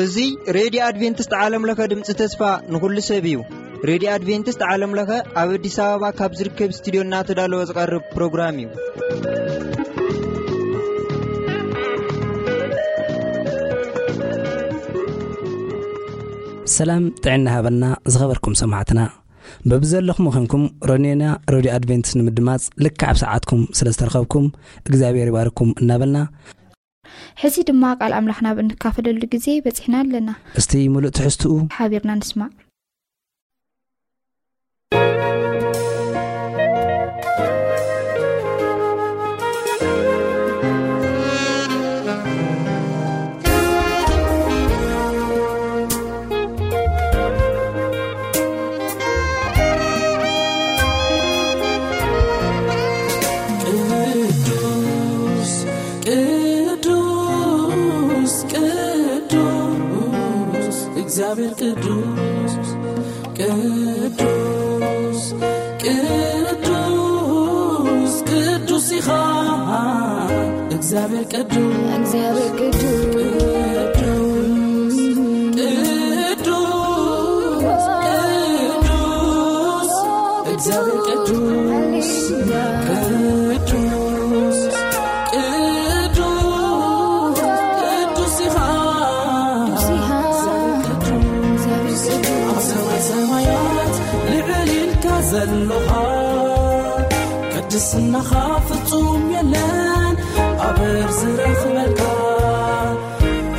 እዚ ሬድዮ ኣድቬንቲስት ዓለም ለኸ ድምፂ ተስፋ ንኹሉ ሰብ እዩ። ሬድዮ ኣድቬንቲስት ዓለም ለኸ ኣብ ኣዲስ ኣበባ ካብ ዝርከብ ስቱዲዮ እናተዳለወ ዝቐርብ ፕሮግራም እዩ። ሰላም ጥዕና ሃበና ዝኸበርኩም ሰማዕትና። በብዘለኹም ኮንኩም ሮኔና ሬድዮ ኣድቬንቲስት ንምድማጽ ልክዕ ኣብ ሰዓትኩም ስለ ዝተረኸብኩም እግዚኣብሔር ይባርኩም እናበልና፣ ሕዚ ድማ ቃል ኣምላኽና ብንካፈለሉ ግዜ በጺሕና ኣለና። እስቲ ምሉእ ትሕዝትኡ ሓቢርና ንስማዕ። ቅዱስ፣ ቅዱስ፣ ቅዱስ፣ እግዚኣብሔር ቅዱስ፣ ቅዱስ፣ ቅዱስ፣ ቅዱስ ኢኻ። እግዚኣብሔር ቅዱስ፣ እግዚኣብሔር ቅዱስ፣ ቅዱስ፣ ቅዱስ፣ ቅዱስ፣ እግዚኣብሔር ቅዱስ፣ ሃሌሉያ። ቅዱስ፣ ቅዱስ፣ ቅዱስ ኢኻ። ቅዱስ ኢኻ። እግዚኣብሔር ቅዱስ፣ እግዚኣብሔር ቅዱስ። ኣብ ሰማይ ሰማያት ልዕል ኢልካ ዘለኻ፣ ቅድስናኻ ፍጹም የለን ኣበር ዝረኽበልካ።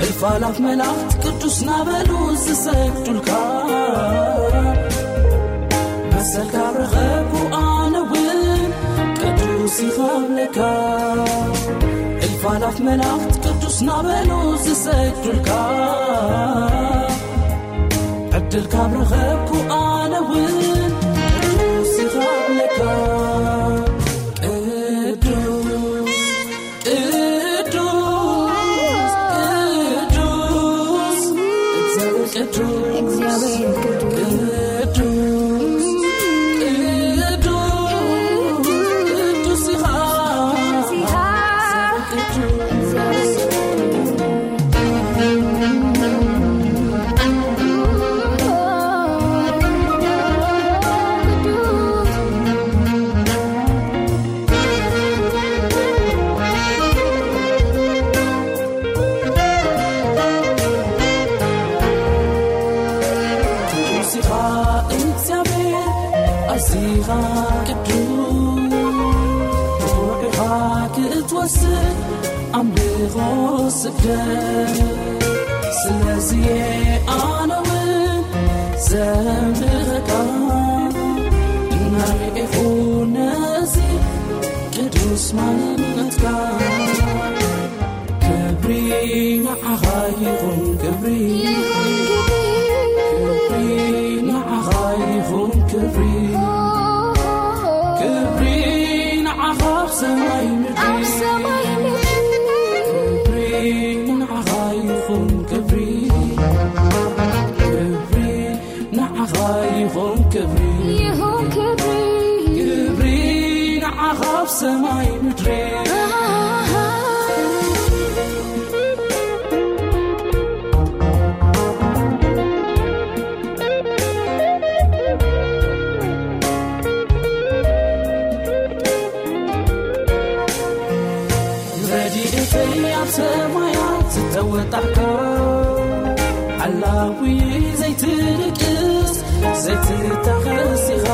እልፍ ኣላፍ መላእኽት ቅዱስ ናበሉ ዝሰግዱልካ፣ መሰልካ ረኸብኩ ኣነ እውን ቅዱስ ይኸብለካ። እልፍ ኣላፍ መላእኽት ቅዱስ ናበሉ ዝሰግዱልካ፣ ዕድል ካብ ረኸብኩ ኣነ እውን ቅዱስ ይኸብለካ። ቅዱስ፣ ቅዱስ፣ ቅዱስ፣ እግዚኣብሔር ቅዱስ፣ እግዚኣብሔር ቅዱስ፣ ቅዱስ፣ ቅዱስ ኢኻ። ቅዱስ፣ እግዚኣብሔር ቅዱስ። ቅዱስ ኢኻ እግዚኣብሔር፣ ኣዚኻ ቅዱስ፣ ብቑዕ ኢኻ ክትወስን ኣምልኾ ስግደት። ስለዚ ኣነ እውን ዘምልኸካ፣ እናርኤኹ ነዚ ቅዱስ ማንነትካ። ክብሪ ንዓኻ ይኹን፣ ክብሪ፣ ክብሪ ንዓኻ ይኹን፣ ክብሪ፣ ክብሪ ንዓኻ ኣብ ሰማይ ምድሪ። ኣብ ሰማይ ምድሪ። ክብሪ ንዓኻ ይኹን፣ ክብሪ፣ ክብሪ ንዓኻ ይኹን፣ ክብሪ፣ ይኹን ክብሪ። ክብሪ ንዓኻ ኣብ ሰማይ ምድሪ። ረድኤተይ ኣብ ሰማያት ዝተወጣሕካ፣ ሓላዊ ዘይትድቅስ ዘይትታኸስ ኢኻ።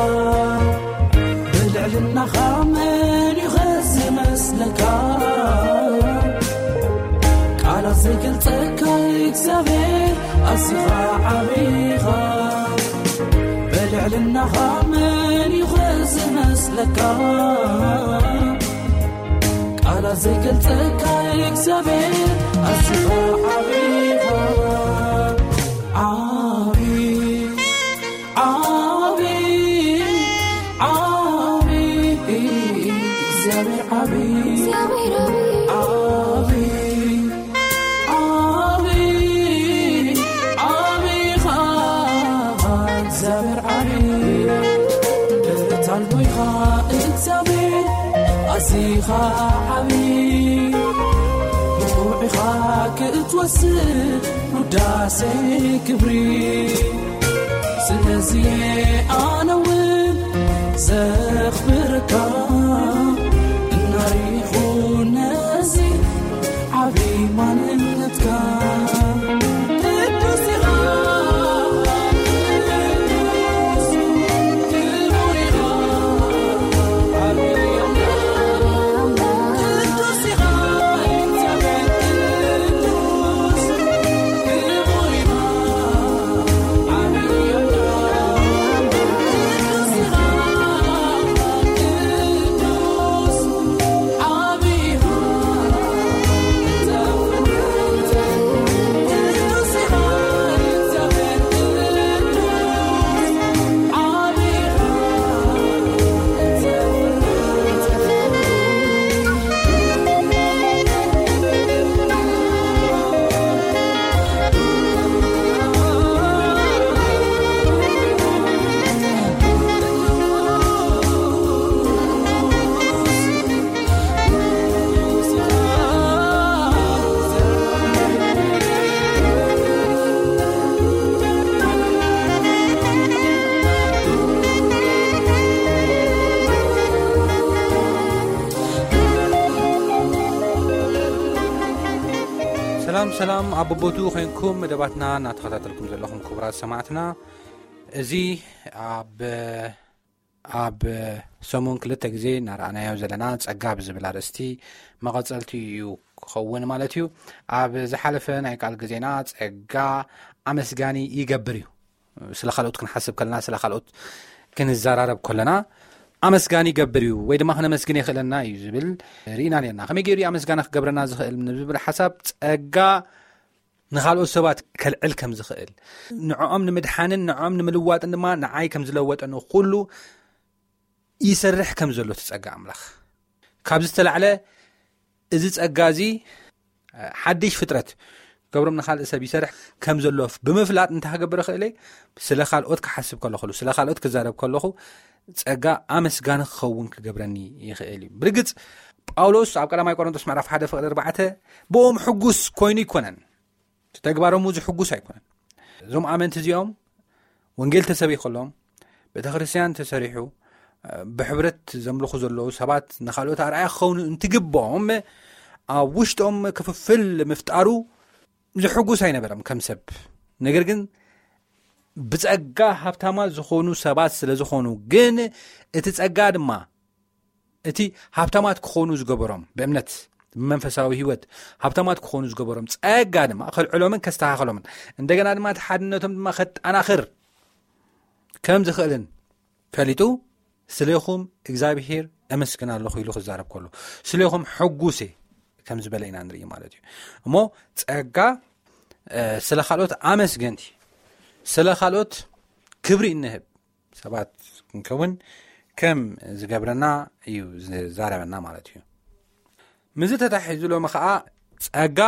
ብልዕልናኻ መን እዩ ኸ ዝመስለካ? ቃላት ዘይገልጸካ እግዚኣብሔር ኣዚኻ ዓቢ ኢኻ። ብልዕልናኻ መን እዩ ኸ ዝመስለካ? ቃላት ዘይገልጸካ እግዚኣብሔር ኣዚኻ ዓቢ ኢኻ። ዓቢ፣ ዓቢ፣ ዓቢ፣ እግዚኣብሔር ዓቢ፣ እግዚኣብሔር ዓቢ፣ ዓቢ፣ ዓቢ፣ ዓቢ ኢኻ እግዚኣብሔር ዓቢ። ብርታል ቦይኻ ኢኻ ዓቢ፣ ብቑዕ ኢኻ ክትወስድ ውዳሴ ክብሪ። ስለዚ ኣነ እውን ዘኽብረካ፣ እናሪኹ ነዚ ዓቢ ማንነትካ። ቅዱስ ኢኻ፣ ቅዱስ፣ ክቡር ኢኻ፣ ዓቢ ኣምላኽ። ቅዱስ ኢኻ፣ እግዚኣብሔር ቅዱስ፣ ክቡር ኢኻ፣ ዓቢ ኣምላኽ። ቅዱስ ኢኻ፣ ቅዱስ፣ ሰላም ሰላም፣ ኣብ ቦቦቱ ኮይንኩም መደባትና እናተኸታተልኩም ዘለኹም ክቡራት ሰማዕትና፣ እዚ ኣብ ኣብ ሰሙን ክልተ ግዜ እናረኣናዮ ዘለና ጸጋ ብዝብል ኣርእስቲ መቐጸልቲ እዩ ክኸውን ማለት እዩ። ኣብ ዝሓለፈ ናይ ቃል ግዜና ጸጋ ኣመስጋኒ ይገብር እዩ። ስለ ካልኦት ክንሓስብ ከለና፣ ስለ ካልኦት ክንዘራረብ ከለና ኣመስጋኒ ይገብር እዩ ወይ ድማ ክነመስግን የኽእለና እዩ ዝብል ርኢና ነርና። ከመይ ገይሩ እዩ ኣመስጋኒ ክገብረና ዝኽእል ንዝብል ሓሳብ፣ ጸጋ ንኻልኦት ሰባት ከልዕል ከም ዝኽእል፣ ንዕኦም ንምድሓንን ንዕኦም ንምልዋጥን ድማ ንዓይ ከም ዝለወጠኒ ኩሉ ይሰርሕ ከም ዘሎ እቲ ጸጋ ኣምላኽ። ካብ ዝተላዕለ እዚ ጸጋ እዚ ሓድሽ ፍጥረት ገብሮም ንኻልእ ሰብ ይሰርሕ ከም ዘሎ ብምፍላጥ እንታይ ክገብር ይኽእል እየ? ስለ ካልኦት ክሓስብ ከለኹ፣ ስለ ካልኦት ክዛረብ ከለኹ ጸጋ ኣመስጋኒ ክኸውን ክገብረኒ ይኽእል እዩ። ብርግጽ ጳውሎስ ኣብ ቀዳማይ ቆሮንቶስ ምዕራፍ ሓደ ፍቕዲ ኣርባዕተ ብኦም ሕጉስ ኮይኑ ኣይኮነን። እቲ ተግባሮም እዚ ሕጉስ ኣይኮነን። እዞም ኣመንቲ እዚኦም ወንጌል ተሰቢኹሎም፣ ቤተ ክርስቲያን ተሰሪሑ፣ ብሕብረት ዘምልኹ ዘለዉ ሰባት ንኻልኦት ኣርኣያ ክኸውን እንትግብኦም ኣብ ውሽጦም ክፍፍል ምፍጣሩ ዝሕጉስ ኣይነበረም ከም ሰብ። ነገር ግን ብጸጋ ሃብታማት ዝኾኑ ሰባት ስለ ዝኾኑ ግን እቲ ጸጋ ድማ እቲ ሃብታማት ክኾኑ ዝገበሮም ብእምነት ብመንፈሳዊ ህይወት ሃብታማት ክኾኑ ዝገበሮም ጸጋ ድማ ከልዕሎምን ከስተኻኸሎምን እንደገና ድማ እቲ ሓድነቶም ድማ ከጠናኽር ከም ዝኽእልን ፈሊጡ ስለኹም እግዚኣብሔር እመስግን ኣለኹ ኢሉ ክዛረብ ከሎ ስለኹም ሕጉሴ ከም ዝበለ ኢና ንርኢ ማለት እዩ። እሞ ጸጋ ስለ ካልኦት ኣመስገንቲ ስለ ካልኦት ክብሪ እንህብ ሰባት ክንከውን ከም ዝገብረና እዩ ዝዛረበና ማለት እዩ። ምዚ ተታሒዙ ሎሚ ከዓ ጸጋ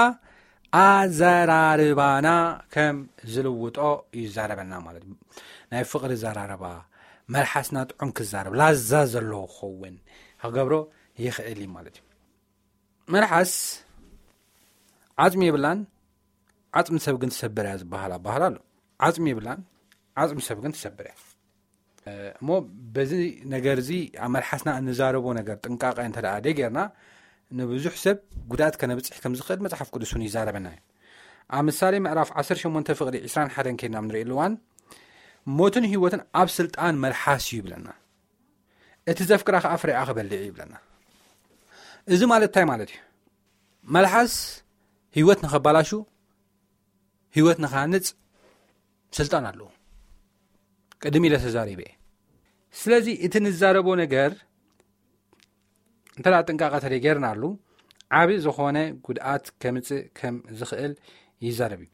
ኣዘራርባና ከም ዝልውጦ ይዛረበና ማለት እዩ። ናይ ፍቕሪ ዘራረባ መልሓስና ጥዑም ክዛረብ ላዛ ዘለዎ ክኸውን ክገብሮ ይኽእል እዩ ማለት እዩ። መልሓስ ዓጽሚ የብላን፣ ዓጽሚ ሰብ ግን ትሰብር እያ ዝበሃል ኣባህል ኣሎ። ዓጽሚ የብላን፣ ዓጽሚ ሰብ ግን ትሰብር እያ። እሞ በዚ ነገር እዚ ኣብ መልሓስና እንዛረቦ ነገር ጥንቃቐ እንተ ደኣ ደይጌርና ንብዙሕ ሰብ ጉድኣት ከነብጽሕ ከም ዝኽእል መጽሓፍ ቅዱስ እውን ይዛረበና እዩ። ኣብ ምሳሌ ምዕራፍ ዓሰርተ ሸሞንተ ፍቕዲ ዕስራን ሓደን ከይድና ንርኢ ኣለዋን ሞትን ህይወትን ኣብ ስልጣን መልሓስ እዩ ይብለና። እቲ ዘፍቅራ ከኣ ፍሬኣ ክበልዕ እዩ ይብለና። እዚ ማለት እንታይ ማለት እዩ? መልሓስ ህይወት ንኸባላሹ ህይወት ንኻንጽ ስልጣን ኣለዎ። ቅድም ኢለ ተዛሪበ እየ። ስለዚ እቲ ንዛረቦ ነገር እንተ ደኣ ጥንቃቐ ተደይጌርናሉ ዓቢ ዝኾነ ጉድኣት ከምጽእ ከም ዝኽእል ይዛረብ እዩ።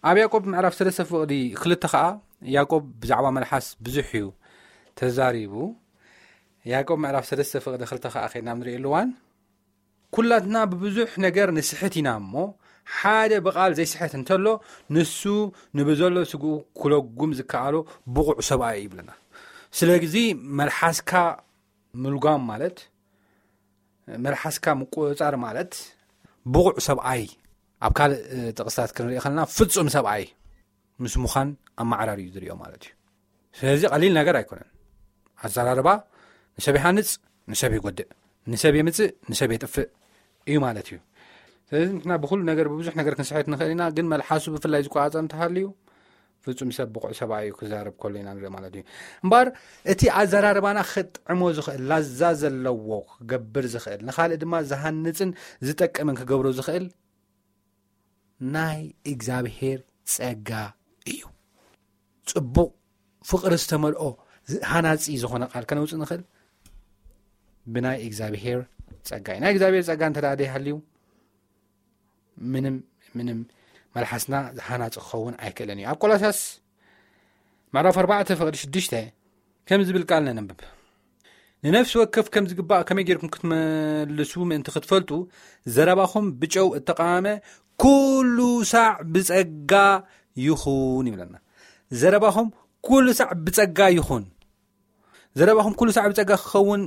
ኣብ ያዕቆብ ምዕራፍ ሰለስተ ፍቕዲ ክልተ ኸኣ ያዕቆብ ብዛዕባ መልሓስ ብዙሕ እዩ ተዛሪቡ። ያዕቆብ ምዕራፍ ሰለስተ ፍቕዲ ክልተ ኸኣ ከይድና ንርእየሉ እዋን ኩላትና ብብዙሕ ነገር ንስሕት ኢና እሞ ሓደ ብቓል ዘይስሕት እንተሎ ንሱ ንብዘሎ ስግኡ ክለጉም ዝከኣሎ ብቑዕ ሰብኣይ እዩ ይብለና። ስለዚ መልሓስካ ምልጓም ማለት መልሓስካ ምቁፅፃር ማለት ብቑዕ ሰብኣይ፣ ኣብ ካልእ ጥቕስታት ክንርኢ ከለና ፍጹም ሰብኣይ ምስ ምዃን ኣመዓራሪ እዩ ዝሪኦ ማለት እዩ። ስለዚ ቀሊል ነገር ኣይኮነን። ኣዘራርባ ንሰብ ይሃንጽ፣ ንሰብ ይጎድእ፣ ንሰብ የምጽእ፣ ንሰብ የጥፍእ እዩ ማለት እዩ። ስለዚ ንሕና ብኩሉ ነገር ብብዙሕ ነገር ክንስሕት ንኽእል ኢና፣ ግን መልሓሱ ብፍላይ ዝቆጻጸር እንተሃልዩ ፍጹም ሰብ ብቑዕ ሰብኣይ እዩ ክዛረብ ከሎ ኢና ንርኢ ማለት እዩ። እምበኣር እቲ ኣዘራርባና ክጥዕሞ ዝኽእል፣ ላዛ ዘለዎ ክገብር ዝኽእል፣ ንኻልእ ድማ ዝሃንጽን ዝጠቅምን ክገብሮ ዝኽእል ናይ እግዚኣብሔር ጸጋ እዩ። ጽቡቕ ፍቕሪ ዝተመልኦ ሃናጺ ዝኾነ ቃል ከነውጽእ ንኽእል ብናይ እግዚኣብሔር ጸጋ እዩ። ናይ እግዚኣብሔር ጸጋ እንተ ደኣ ዘይሃልዩ ምንም ምንም መልሓስና ሃናጺ ክኸውን ኣይክእልን እዩ። ኣብ ቆላሳስ ምዕራፍ ኣርባዕተ ፍቕዲ ሽዱሽተ ከም ዝብል ቃል ነንብብ። ንነፍሲ ወከፍ ከም ዝግባእ ከመይ ጌርኩም ክትመልሱ ምእንቲ ክትፈልጡ ዘረባኹም ብጨው እተቓመመ ኩሉ ሳዕ ብጸጋ ይኹን ይብለና። ዘረባኹም ኩሉ ሳዕ ብጸጋ ይኹን። ዘረባኹም ኩሉ ሳዕ ብጸጋ ክኸውን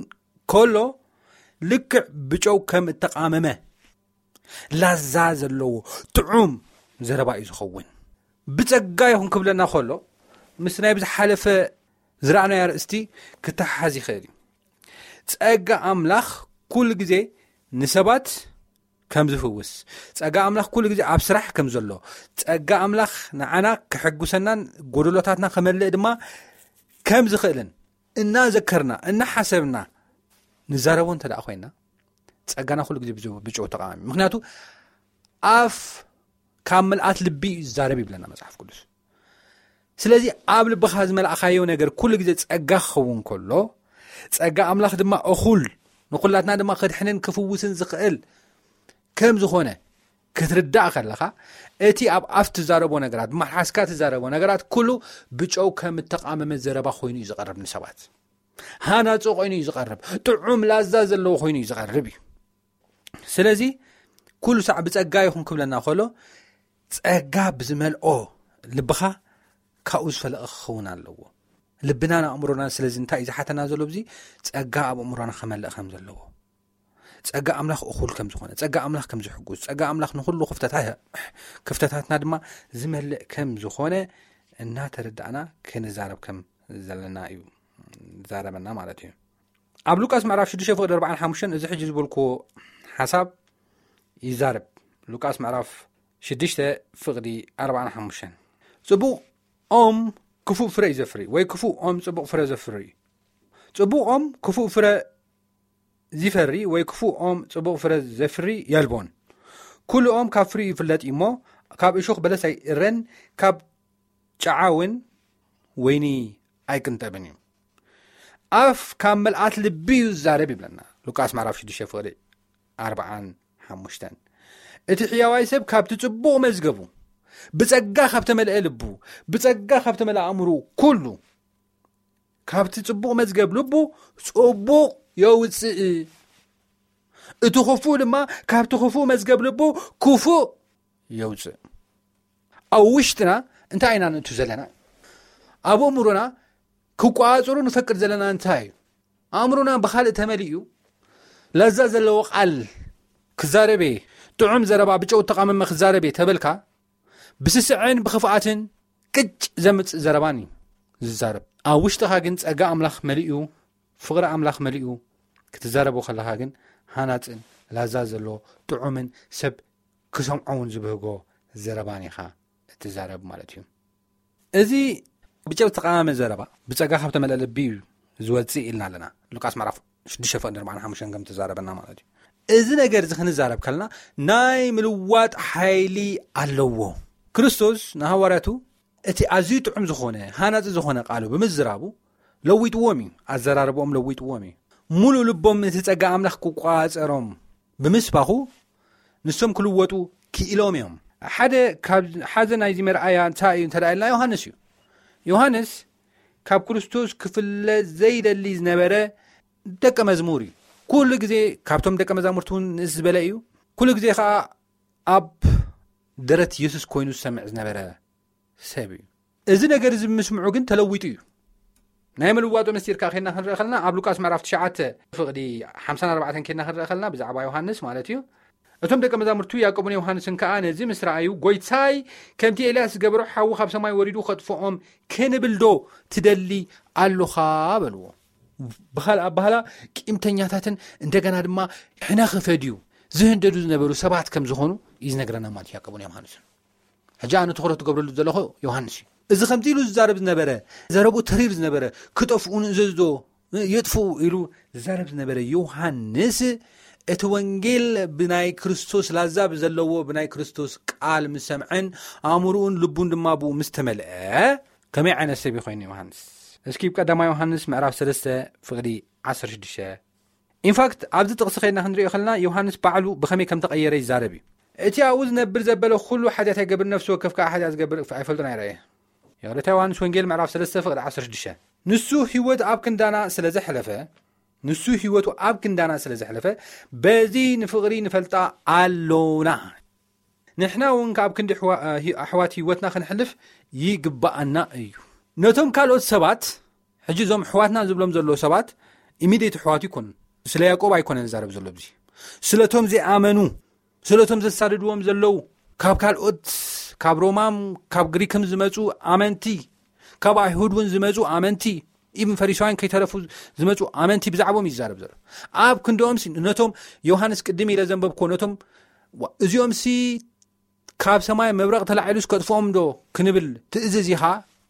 ከሎ ልክዕ ብጨው ከም እተቓመመ ላዛ ዘለዎ ጥዑም ዘረባ እዩ ዝኸውን። ብጸጋ ይኹን ክብለና ከሎ ምስ ናይ ብዝሓለፈ ዝረኣናዮ ኣርእስቲ ክተሓሓዝ ይኽእል እዩ። ጸጋ ኣምላኽ ኩሉ ግዜ ንሰባት ከም ዝፍውስ፣ ጸጋ ኣምላኽ ኩሉ ግዜ ኣብ ስራሕ ከም ዘሎ፣ ጸጋ ኣምላኽ ንዓና ክሕጉሰናን ጎደሎታትና ከመልእ ድማ ከም ዝኽእልን እናዘከርና እናሓሰብና ንዛረቦ እንተ ደኣ ኮይና ጸጋና ኩሉ ግዜ ብጨው ተቓሚ። ምክንያቱ ኣፍ ካብ ምልኣት ልቢ እዩ ዝዛረብ ይብለና መጽሓፍ ቅዱስ። ስለዚ ኣብ ልብኻ ዝመልእኻዮ ነገር ኩሉ ግዜ ጸጋ ክኸውን ከሎ ጸጋ ኣምላኽ ድማ እኹል ንኹላትና ድማ ከድሕንን ክፍውስን ዝኽእል ከም ዝኾነ ክትርዳእ ከለኻ እቲ ኣብ ኣፍ ትዛረቦ ነገራት ብመልሓስካ ትዛረቦ ነገራት ኩሉ ብጨው ከም እተቓመመ ዘረባ ኮይኑ እዩ ዝቐርብ ንሰባት። ሃናጺ ኮይኑ እዩ ዝቐርብ። ጥዑም ላዛ ዘለዎ ኮይኑ እዩ ዝቐርብ እዩ። ስለዚ ኩሉ ሳዕ ብጸጋ ይኹን ክብለና ከሎ ጸጋ ብዝመልኦ ልብኻ ካብኡ ዝፈለቐ ክኸውን ኣለዎ። ልብናን ኣእምሮናን ስለዚ እንታይ እዩ ዝሓተና ዘሎ? ብዚ ጸጋ ኣብ ኣእምሮና ከመልእ ከም ዘለዎ። ጸጋ ኣምላኽ እኹል ከም ዝኾነ፣ ጸጋ ኣምላኽ ከም ዝሕጉስ፣ ጸጋ ኣምላኽ ንኹሉ ክፍተታት ክፍተታትና ድማ ዝመልእ ከም ዝኾነ እናተረዳእና ክንዛረብ ከም ዘለና እዩ ዝዛረበና ማለት እዩ። ኣብ ሉቃስ ምዕራፍ ሽዱሽተ ፍቕዲ ኣርባዓን ሓሙሽተን እዚ ሕጂ ዝበልኩዎ ሓሳብ ይዛረብ። ሉቃስ ምዕራፍ ሽዱሽተ ፍቕዲ ኣርባዓን ሓሙሽተን ጽቡቕ ኦም ክፉእ ፍረ እዩ ዘፍሪ ወይ ክፉእ ኦም ጽቡቕ ፍረ ዘፍሪ እዩ። ጽቡቕ ኦም ክፉእ ፍረ ዝፈሪ ወይ ክፉእ ኦም ጽቡቕ ፍረ ዘፍሪ የልቦን። ኩሉ ኦም ካብ ፍሪኡ ይፍለጥ እዩ እሞ ካብ እሾኽ በለስ ኣይእረን፣ ካብ ጨዓ እውን ወይኒ ኣይቅንጠብን እዩ። ኣፍ ካብ መልኣት ልቢ እዩ ዝዛረብ ይብለና ሉቃስ ምዕራፍ ሽዱሽተ ፍቕዲ ኣርባዓን ሓሙሽተን። እቲ ሕያዋይ ሰብ ካብቲ ጽቡቕ መዝገቡ ብጸጋ ካብ ተመልአ ልቡ ብጸጋ ካብ ተመልአ ኣእምሩ ኩሉ ካብቲ ጽቡቕ መዝገብ ልቡ ጽቡቕ የውጽእ። እቲ ክፉእ ድማ ካብቲ ክፉእ መዝገብ ልቡ ክፉእ የውጽእ። ኣብ ውሽጥና እንታይ ኢና ንእቱ ዘለና? ኣብ ኣእምሮና ክቋጽሩ ንፈቅድ ዘለና እንታይ እዩ? ኣእምሮና ብኻልእ ተመሊኡ ለዛ ዘለዎ ቃል ክዛረቤ ጥዑም ዘረባ ብጨው ተቃመመ ክዛረቤ ተበልካ ብስስዕን ብኽፍኣትን ቅጭ ዘምጽእ ዘረባን እዩ ዝዛረብ። ኣብ ውሽጥኻ ግን ጸጋ ኣምላኽ መሊኡ ፍቕሪ ኣምላኽ መሊኡ ክትዛረቦ ከለኻ ግን ሃናጽን ላዛ ዘሎ ጥዑምን ሰብ ክሰምዖ እውን ዝብህጎ ዘረባን ኢኻ እትዛረብ ማለት እዩ። እዚ ብጨው ዝተቃመመ ዘረባ ብጸጋ ካብ ተመልአ ልቢ እዩ ዝወጽእ ኢልና ኣለና። ሉቃስ ምዕራፍ ሽዱሽተ ፍቕዲ ኣርባዓን ሓሙሽተን ከም ተዛረበና ማለት እዩ። እዚ ነገር እዚ ክንዛረብ ከለና ናይ ምልዋጥ ሓይሊ ኣለዎ። ክርስቶስ ንሃዋርያቱ እቲ ኣዝዩ ጥዑም ዝኾነ ሃናጺ ዝኾነ ቃሉ ብምዝራቡ ለዊጥዎም እዩ። ኣዘራርቦም ለዊጥዎም እዩ። ሙሉእ ልቦም እቲ ጸጋ ኣምላኽ ክቋጸሮም ብምስባኹ ንሶም ክልወጡ ክኢሎም እዮም። ሓደ ካብ ሓዘ ናይዚ መርኣያ እንታይ እዩ እንተ ኢልና ዮሃንስ እዩ። ዮሃንስ ካብ ክርስቶስ ክፍለ ዘይደሊ ዝነበረ ደቀ መዝሙር እዩ። ኩሉ ግዜ ካብቶም ደቀ መዛሙርቲ እውን ንእስ ዝበለ እዩ። ኩሉ ግዜ ከዓ ኣብ ደረት የሱስ ኮይኑ ዝሰምዕ ዝነበረ ሰብ እዩ። እዚ ነገር እዚ ብምስምዑ ግን ተለዊጡ እዩ። ናይ ምልዋጡ ምስጢር ከኣ ኬድና ክንርኢ ከለና ኣብ ሉቃስ ምዕራፍ ትሽዓተ ፍቕዲ ሓምሳን ኣርባዕተን ኬድና ክንርኢ ከለና ብዛዕባ ዮሃንስ ማለት እዩ። እቶም ደቀ መዛሙርቱ ያዕቆብን ዮሃንስን ከኣ ነዚ ምስ ረኣዩ ጎይታይ ከምቲ ኤልያስ ዝገበሮ ሓዊ ካብ ሰማይ ወሪዱ ከጥፍኦም ክንብል ዶ ትደሊ ኣሎኻ በልዎ። ብኻል ኣባህላ ቂምተኛታትን እንደገና ድማ ሕነ ክፈድዩ ዝህንደዱ ዝነበሩ ሰባት ከም ዝኾኑ እዩ ዝነግረና ማለት እዩ ያዕቆብን ዮሃንስን። ሕጂ ኣነ ትኹረት ትገብረሉ ዘለኹ ዮሃንስ እዩ። እዚ ከምዚ ኢሉ ዝዛረብ ዝነበረ ዘረቡ ተሪር ዝነበረ ክጠፍኡ ንእዘዝዶ የጥፍኡ ኢሉ ዝዛረብ ዝነበረ ዮሃንስ እቲ ወንጌል ብናይ ክርስቶስ ላዛ ብዘለዎ ብናይ ክርስቶስ ቃል ምስ ሰምዐን ኣእምርኡን ልቡን ድማ ብኡ ምስ ተመልአ ከመይ ዓይነት ሰብ ኮይኑ ዮሃንስ? እስኪ ቀዳማ ዮሃንስ ምዕራፍ ሰለስተ ፍቕዲ ዓሰርተ ሽዱሽተ ኢንፋክት ኣብዚ ጥቕሲ ከይድና ክንሪኦ ከለና ዮሃንስ ባዕሉ ብኸመይ ከም ተቐየረ ይዛረብ እዩ። እቲ ኣብኡ ዝነብር ዘበለ ኩሉ ሓጢኣት ኣይገብር፣ ነፍሲ ወከፍ ከዓ ሓጢኣት ዝገብር ኣይፈልጦን ኣይረኣየ። የቕረታ ዮሃንስ ወንጌል ምዕራፍ ሰለስተ ፍቕዲ ዓሰርተ ሽዱሽተ ንሱ ህይወት ኣብ ክንዳና ስለ ዘሕለፈ ንሱ ህይወቱ ኣብ ክንዳና ስለ ዘሕለፈ በዚ ንፍቕሪ ንፈልጣ ኣሎና። ንሕና እውን ካብ ክንዲ ኣሕዋ- ኣህ- ኣሕዋት ህይወትና ክንሕልፍ ይግባኣና እዩ። ነቶም ካልኦት ሰባት ሕጂ እዞም ኣሕዋትና ዝብሎም ዘለዉ ሰባት ኢሚድየት ኣሕዋት ይኮኑ። ስለ ያዕቆብ ኣይኮነን ዝዛረብ ዘሎ እዚ ስለቶም ዘይኣመኑ ስለቶም ዘሳድድዎም ዘለዉ ካብ ካልኦት ካብ ሮማም ካብ ግሪክም ዝመፁ ኣመንቲ ካብ ኣይሁድ እውን ዝመፁ ኣመንቲ ኢብን ፈሪሳውያን ከይተረፉ ዝመፁ ኣመንቲ ብዛዕባኦም ይዛረብ ዘሎ። ኣብ ክንድኦም ነቶም ዮሃንስ ቅድም ኢለ ዘንበብኮ ነቶም እዚኦም ሲ ካብ ሰማይ መብረቕ ተላዒሉስ ከጥፍኦም ዶ ክንብል ትእዝዝ ኢኻ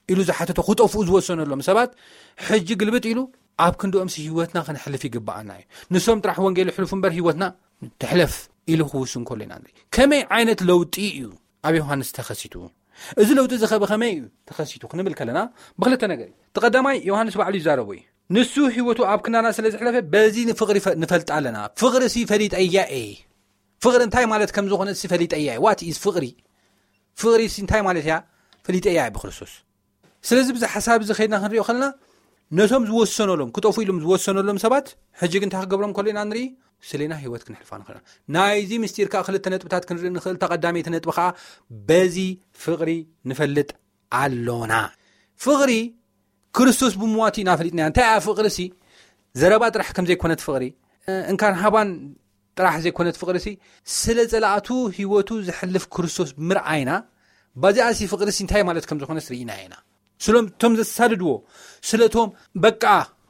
ኢሉ ዝሓተቶ ክጠፍኡ ዝወሰነሎም ሰባት ሕጂ ግልብጥ ኢሉ ኣብ ክንድኦምሲ ህይወትና ክንሕልፍ ይግባኣና እዩ። ንሶም ጥራሕ ወንጌል ይሕልፉ እምበር ህይወትና ትሕለፍ ኢሉ ክውስን ከሎ ኢና ንርኢ። ከመይ ዓይነት ለውጢ እዩ ኣብ ዮሃንስ ተኸሲቱ? እዚ ለውጢ እዚ ከ ብኸመይ እዩ ተኸሲቱ ክንብል ከለና ብክልተ ነገር እዩ። እቲ ቀዳማይ ዮሃንስ ባዕሉ ይዛረቦ እዩ። ንሱ ህይወቱ ኣብ ክንዳና ስለ ዝሕለፈ በዚ ንፍቕሪ ፈ- ንፈልጥ ኣለና። ፍቕሪ ሲ ፈሊጠያ እየ። ፍቕሪ እንታይ ማለት ከም ዝኾነ ሲ ፈሊጠያ እየ። ዋት ኢዝ ፍቕሪ? ፍቕሪ ሲ እንታይ ማለት እያ? ፈሊጠያ እየ ብክርስቶስ። ስለዚ ብዚ ሓሳብ እዚ ከይድና ክንሪኦ ከለና ነቶም ዝወሰነሎም ክጠፉ ኢሎም ዝወሰነሎም ሰባት ሕጂ ግን እንታይ ክገብሮም ከሎ ኢና ንርኢ? ስሌና ህይወት ክንሕልፋ ንኽእል። ናይዚ ምስጢር ከዓ ክልተ ነጥብታት ክንርኢ ንኽእል። ተቐዳመይቲ ነጥቢ ከዓ በዚ ፍቕሪ ንፈልጥ ኣሎና። ፍቕሪ ክርስቶስ ብምዋቱ ኢና ፈሊጥና። እንታይ እያ ፍቕሪ ሲ? ዘረባ ጥራሕ ከም ዘይኮነት ፍቕሪ እንካን ሃባን ጥራሕ ዘይኮነት ፍቕሪ ሲ ስለ ጸላእቱ ህይወቱ ዝሕልፍ ክርስቶስ ብምርኣይና ባዚኣ ሲ ፍቕሪ ሲ እንታይ ማለት ከም ዝኾነስ ርኢና ኢና። ስለቶም ዘሳድድዎ ስለቶም በቃ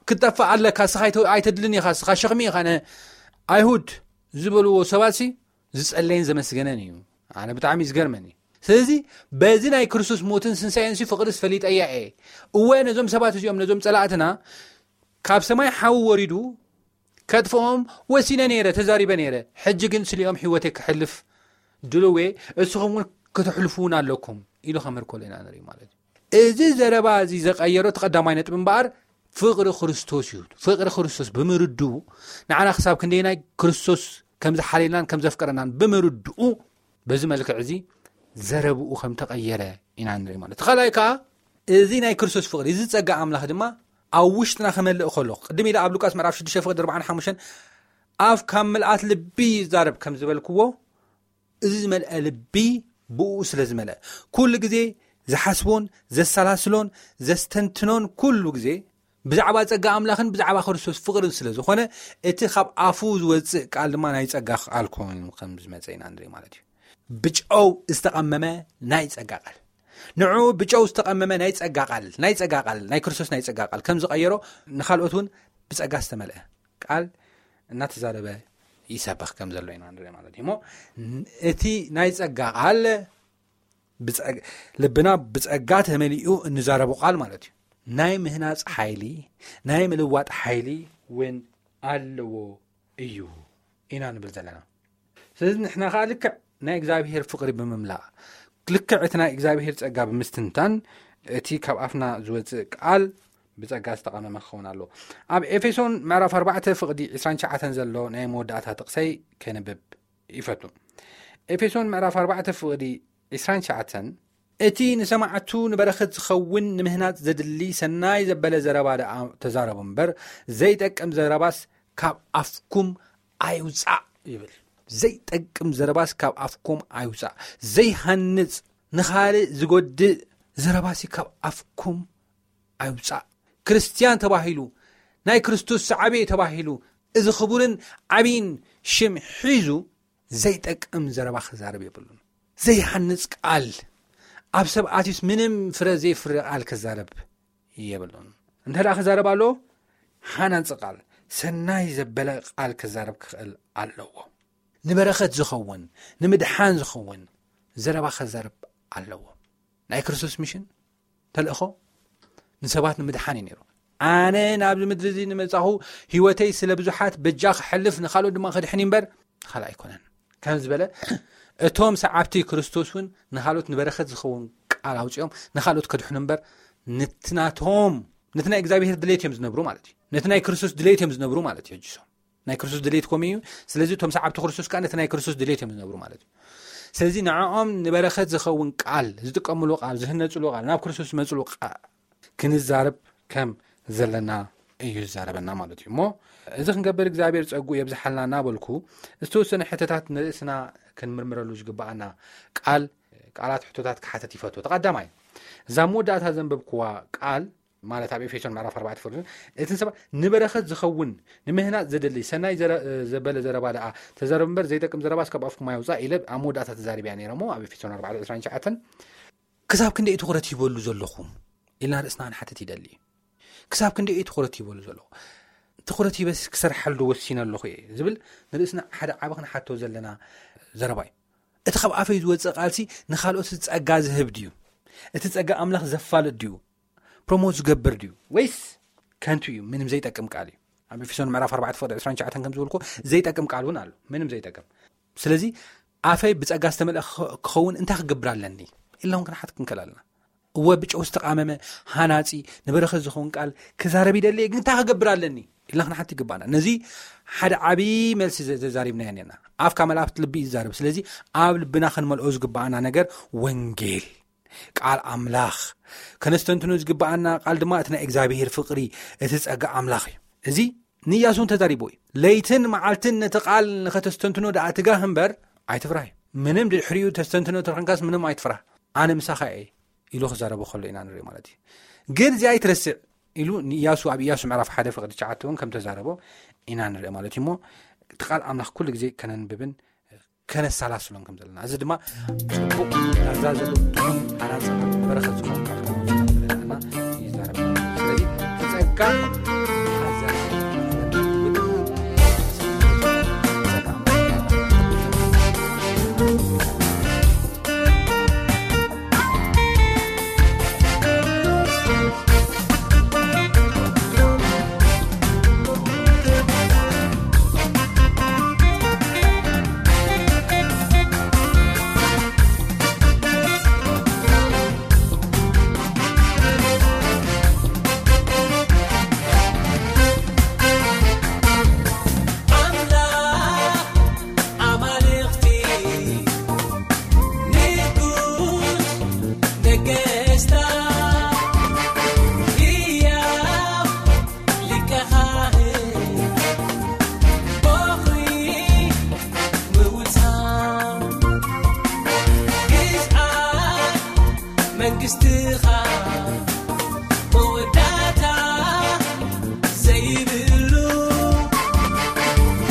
ክትጠፍእ ኣለካ ስኻ ኣይተ- ኣይተድልን ኢኻ ስኻ ሸኽሚ ኢኻ ነ ኣይሁድ ዝበልዎ ሰባት ሲ ዝጸለየን ዘመስገነን እዩ። ኣነ ብጣዕሚ እዩ ዝገርመኒ። ስለዚ በዚ ናይ ክርስቶስ ሞትን ስንሳኤን ሲ ፍቕሪ ዝፈሊጠያ እየ። እወ ነዞም ሰባት እዚኦም ነዞም ጸላእትና ካብ ሰማይ ሓዊ ወሪዱ ከጥፍኦም ወሲነ ነይረ ተዛሪበ ነይረ። ሕጂ ግን ስሊኦም ህይወተይ ክሕልፍ ድልዌ እስኹም እውን ክትሕልፉ እውን ኣለኩም ኢሉ ከምህር ከሎ ኢና ንርኢ ማለት እዩ። እዚ ዘረባ እዚ ዘቀየሮ እቲ ቀዳማይ ነጥቢ እምበኣር ፍቕሪ ክርስቶስ እዩ። ፍቕሪ ክርስቶስ ብምርድኡ ንዓና ክሳብ ክንደይናይ ክርስቶስ ከም ዝሓለናን ከም ዘፍቀረናን ብምርድኡ በዚ መልክዕ እዚ ዘረብኡ ከም ተቐየረ ኢና ንርኢ ማለት እዩ። ካልኣይ ከዓ እዚ ናይ ክርስቶስ ፍቕሪ እዚ ጸጋ ኣምላኽ ድማ ኣብ ውሽጥና ክመልእ ከሎ ቅድም ኢለ ኣብ ሉቃስ ምዕራፍ ሽዱሽተ ፍቕዲ ኣርባዓን ሓሙሽተን ኣፍ ካብ ምልኣት ልቢ ይዛረብ ከም ዝበልክዎ እዚ ዝመልአ ልቢ ብኡ ስለ ዝመልአ ኩሉ ግዜ ዝሓስቦን ዘሰላስሎን ዘስተንትኖን ኩሉ ግዜ ብዛዕባ ጸጋ ኣምላኽን ብዛዕባ ክርስቶስ ፍቕርን ስለ ዝኾነ እቲ ካብ ኣፉ ዝወጽእ ቃል ድማ ናይ ጸጋ ቃል ኮይኑ ከም ዝመጸ ኢና ንርኢ ማለት እዩ። ብጨው ዝተቐመመ ናይ ጸጋ ቃል ንዑ ብጨው ዝተቐመመ ናይ ጸጋ ቃል ናይ ጸጋ ቃል ናይ ክርስቶስ ናይ ጸጋ ቃል ከም ዝቐየሮ ንኻልኦት እውን ብጸጋ ዝተመልአ ቃል እናተዛረበ ይሰብኽ ከም ዘሎ ኢና ንርኢ ማለት እዩ። እሞ እቲ ናይ ጸጋ ቃል ብጸ- ልብና ብጸጋ ተመሊኡ እንዛረቦ ቃል ማለት እዩ። ናይ ምህናጽ ሓይሊ ናይ ምልዋጥ ሓይሊ እውን ኣለዎ እዩ ኢና ንብል ዘለና። ስለዚ ንሕና ከዓ ልክዕ ናይ እግዚኣብሄር ፍቕሪ ብምምላእ ልክዕ እቲ ናይ እግዚኣብሄር ጸጋ ብምስትንታን እቲ ካብ ኣፍና ዝወፅእ ቃል ብጸጋ ዝተቐመመ ክኸውን ኣለዎ። ኣብ ኤፌሶን ምዕራፍ ኣርባዕተ ፍቕዲ ዕስራን ትሽዓተን ዘሎ ናይ መወዳእታ ጥቕሰይ ከንብብ ይፈቱ። ኤፌሶን ምዕራፍ ኣርባዕተ ፍቕዲ ዕስራን ትሽዓተን እቲ ንሰማዕቱ ንበረኸት ዝኸውን ንምህናጽ ዘድሊ ሰናይ ዘበለ ዘረባ ደኣ ተዛረቡ እምበር ዘይጠቅም ዘረባስ ካብ ኣፍኩም ኣይውጻእ ይብል። ዘይጠቅም ዘረባስ ካብ ኣፍኩም ኣይውጻእ። ዘይሃንጽ ንኻልእ ዝጎድእ ዘረባሲ ካብ ኣፍኩም ኣይውጻእ። ክርስትያን ተባሂሉ፣ ናይ ክርስቶስ ሰዓቤ ተባሂሉ፣ እዚ ክቡርን ዓብይን ሽም ሒዙ ዘይጠቅም ዘረባ ክዛረብ የብሉን። ዘይሃንጽ ቃል፣ ኣብ ሰብ ኣትዩስ ምንም ፍረ ዘይፍረ ቃል ክዛረብ የብሉን። እንተ ደኣ ክዛረብ ኣሎ፣ ሃናጺ ቃል፣ ሰናይ ዘበለ ቃል ክዛረብ ክኽእል ኣለዎ። ንበረኸት ዝኸውን፣ ንምድሓን ዝኸውን ዘረባ ክዛረብ ኣለዎ። ናይ ክርስቶስ ሚሽን፣ ተልእኾ፣ ንሰባት ንምድሓን እዩ ነይሩ። ኣነ ናብዚ ምድሪ እዚ ንመጻኹ፣ ህይወተይ ስለ ብዙሓት በጃ ክሕልፍ፣ ንኻልኦት ድማ ክድሕን እዩ እምበር፣ ንኻልእ ኣይኮነን። ከም ዝበለ፣ እቶም ሰዓብቲ ክርስቶስ እውን ንኻልኦት ንበረኸት ዝኸውን ቃል ኣውጺኦም ንኻልኦት ከድሕኑ እምበር፣ ነቲ ናቶም፣ ነቲ ናይ እግዚኣብሔር ድሌት እዮም ዝነብሩ ማለት እዩ። ነቲ ናይ ክርስቶስ ድሌት እዮም ዝነብሩ ማለት እዩ። ሕጂ ሶም ናይ ክርስቶስ ድሌት ኮም እዩ። ስለዚ እቶም ሰዓብቲ ክርስቶስ ከዓ ነቲ ናይ ክርስቶስ ድሌት እዮም ዝነብሩ ማለት እዩ። ስለዚ ንዕኦም ንበረኸት ዝኸውን ቃል፣ ዝጥቀምሉ ቃል፣ ዝህነጽሉ ቃል፣ ናብ ክርስቶስ ዝመጽሉ ቃል ክንዛረብ ከም ዘለና እዩ ዝዛረበና ማለት እዩ። እሞ እዚ ክንገብር እግዚኣብሔር ጸጉ የብዝሓልና እናበልኩ፣ ዝተወሰነ ሕቶታት ንርእስና ክንምርምረሉ ዝግብኣና ቃል፣ ቃላት ሕቶታት ክሓተት ይፈቱ። እቲ ቀዳማይ፣ እዛ መወዳእታ ዘንበብክዋ ቃል፣ ማለት ኣብ ኤፌሶን ምዕራፍ ኣርባዕተ ፍርድን፣ እቲ ንሰባ ንበረኸት ዝኸውን፣ ንምህናጽ ዘደሊ ሰናይ ዘረ-፣ ዘበለ ዘረባ ደኣ ተዛረብ እምበር፣ ዘይጠቅም ዘረባስ ካብ ኣፍኩም ኣይውጻእ ኢለ ኣብ መወዳእታ ተዛሪበያ ነይረ እሞ፣ ኣብ ኤፌሶን ኣርባዕተ ዕስራን ትሽዓተን። ክሳብ ክንደይ ትኹረት ሂበሉ ዘለኹም ኢልና ርእስና ክንሓትት ይደሊ። ክሳብ ክንደይ ትኹረት ሂበሉ ዘለኹ? ትኹረት ሂበስ ክሰርሓሉ ዶ ወሲነ ኣለኹ እየ ዝብል ንርእስና ሓደ ዓቢ ክንሓቶ ዘለና ዘረባ እዩ። እቲ ካብ ኣፈይ ዝወጽእ ቃልሲ ንኻልኦት ጸጋ ዝህብ ድዩ? እቲ ጸጋ ኣምላኽ ዘፋልጥ ድዩ? ፕሮሞት ዝገብር ድዩ? ወይስ ከንቱ እዩ? ምንም ዘይጠቅም ቃል እዩ። ኣብ ኤፌሶን ምዕራፍ ኣርባዕተ ፍቕዲ ዕስራን ትሽዓተን ከም ዝበልኩ፣ ዘይጠቅም ቃል እውን ኣሎ። ምንም ዘይጠቅም። ስለዚ ኣፈይ ብጸጋ ዝተመልአ ክኸ-፣ ክኸውን እንታይ ክገብር ኣለኒ? ኢልና እውን ክንሓት ክንክእል ኣለና። እወ፣ ብጨው ዝተቓመመ፣ ሃናጺ፣ ንበረኸት ዝኸውን ቃል ክዛረብ ይደሊ እየ፣ ግን እንታይ ክገብር ኣለኒ? ኢልና ክንሓት ይግባና። ነዚ ሓደ ዓቢ መልሲ ዘ-፣ ዘዛሪብናዮ ነርና። ኣፍ ካብ መላእኽቲ ልቢ እዩ ዝዛረብ። ስለዚ ኣብ ልብና ክንመልኦ ዝግባኣና ነገር ወንጌል፣ ቃል ኣምላኽ። ከነስተንትኖ ዝግባኣና ቃል ድማ እቲ ናይ እግዚኣብሔር ፍቕሪ፣ እቲ ጸጋ ኣምላኽ እዩ። እዚ ንኢያሱ እውን ተዛሪቦ እዩ። ለይትን መዓልትን ነቲ ቃል ንኸተስተንትኖ ደኣ ትጋህ እምበር ኣይትፍራህ እዩ። ምንም ድሕሪኡ ተስተንትኖ ተረኽንካስ ምንም ኣይትፍራህ። ኣነ ምሳኻ እየ ኢሉ ክዛረቦ ከሎ ኢና ንርኢ ማለት እዩ። ግን እዚ ኣይትረስዕ ኢሉ ንኢያሱ ኣብ ኢያሱ ምዕራፍ ሓደ ፍቕዲ ትሽዓተ እውን ከም ተዛረቦ ኢና ንርኢ ማለት እዩ። እሞ እቲ ቃል ኣምላኽ ኩሉ ግዜ ከነንብብን ከነሰላስሎን ከም ዘለና፣ እዚ ድማ ጽቡቕ ናዛ ዘሎ ጥዑም ሓናጽ በረኸት ዝኾነ ቃል ከም ዘለና ይዛረብ። ስለዚ እቲ ጸጋ ሓዘ ኣምላኽ ኣማልኽቲ፣ ንጉስ ነገስታት፣ ህያው ሊቀ ካህን፣ በኹሪ ምውታን፣ ግዝኣት መንግስትኻ መወዳእታ ዘይብሉ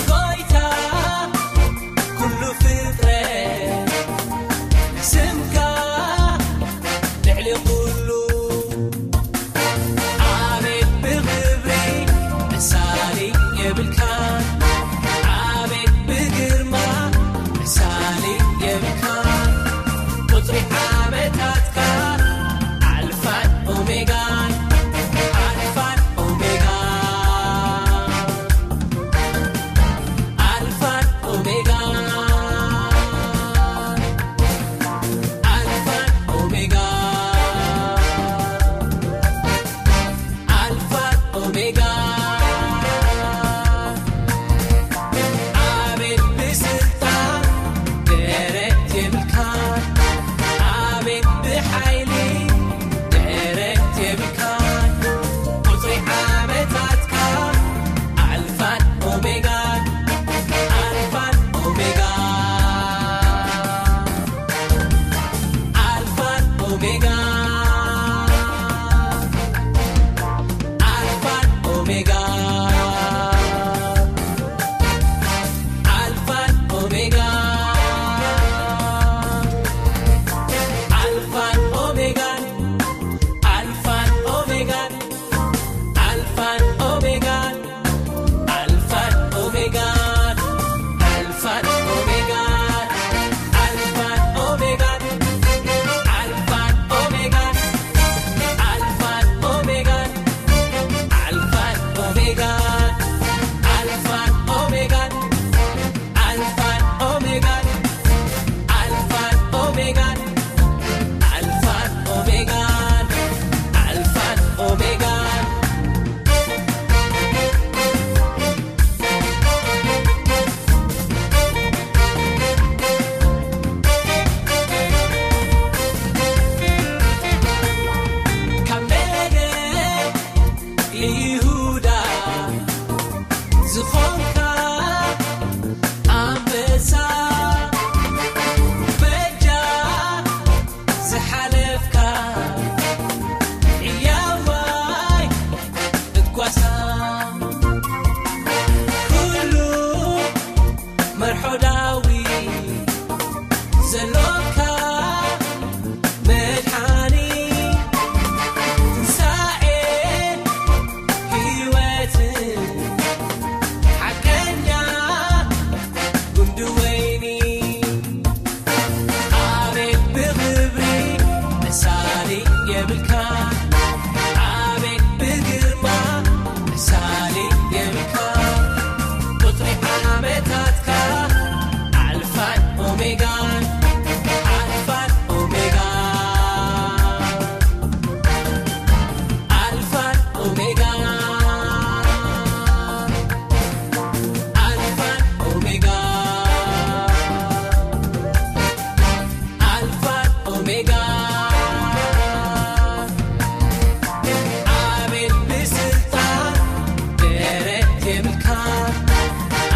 ጎይታ ኩሉ ፍጥረት ስምካ ልዕሊ ኩሉ። ኣቤት ብኽብሪ ምሳሌ የብልካን፣ ኣቤት ብግርማ ምሳሌ የብልካን። ቁጽሪ ዓመታትካ ኣልፋን ኦሜጋን፣ ኣልፋን ኦሜጋን፣ ኣልፋን ኦሜጋን፣ ኣልፋን ኦሜጋን፣ ኣልፋን ኦሜጋን።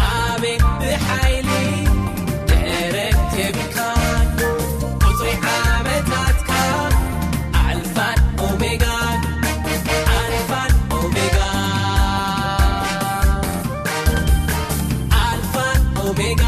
ኣቤት ብሓይሊ ደረት የብልካን ቁጽሪ ዓመታትካ ኣልፋን ኦሜጋን ኣልፋን ኦሜጋ ኣልፋን ኦሜጋ